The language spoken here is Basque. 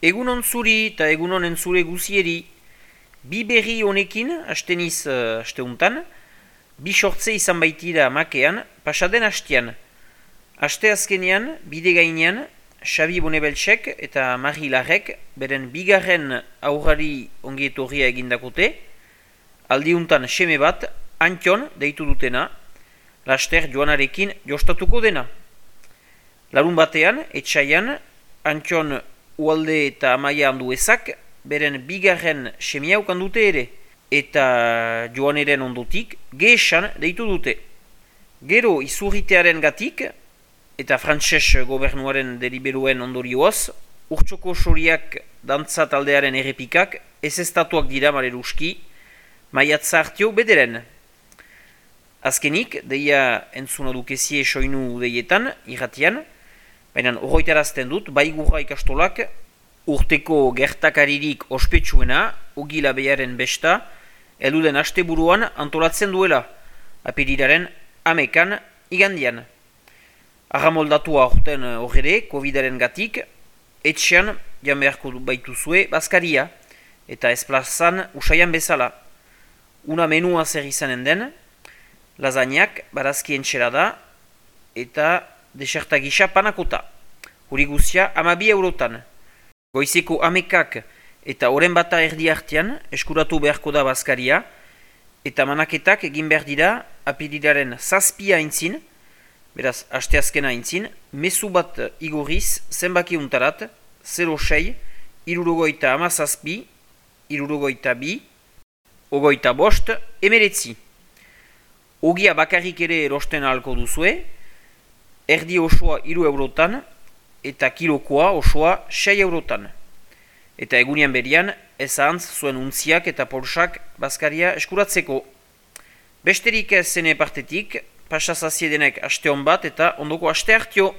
Egunon zuri eta egunon entzule guzieri, bi berri honekin, asteniz asteuntan, bi sortze izan baitira makean, pasaden hastian. Aste azkenean, bide gainean, Xabi Bonebeltsek eta Mari Larrek beren bigarren aurrari ongietorria egindakote, aldiuntan seme bat, Antion deitu dutena, laster joanarekin jostatuko dena. Larun batean, etxaian, Antion Ualde eta Amaia Anduezak beren bigarren semia ukan dute ere, eta joaneren ondotik geesan deitu dute. Gero izurritearen gatik, eta frantses gobernuaren deliberuen ondorioaz, urtsoko soriak dantza taldearen errepikak ezestatuak dira maleruski, maiatza hartio bederen. Azkenik, deia entzuna dukezie soinu deietan, irratian, baina horretarazten dut, baigurra ikastolak urteko gertakaririk ospetsuena, Ugila Bearen besta, elduden asteburuan antolatzen duela, apirilaren 11 igandian. Arramoldatua orten horre, Covidaren gatik, etxean jan beharko baituzue bazkaria, eta ezplazan usaian bezala. Una menua zer izanen den, lasagnak, barazkien txerada, eta deserta gisa panakota. Huri guzia 12 eurotan. Goizeko 11 eta oren bata erdi artean eskuratu beharko da bazkaria, eta manaketak egin behar dira apirilaren 7 aintzin, beraz asteazkena aintzin, mezu bat igorriz zenbaki untarat, 06, 67, 62, 25, emeretzi. Ogia bakarrik ere erosten ahalko duzue, erdi osoa 3 eurotan, eta kilokoa osoa 6 eurotan. Eta egunean berian, ezantz zuen untziak eta polsak bazkaria eskuratzeko. Besterik ez zene partetik, pasazaziedenek aste hon bat eta ondoko aste hartio.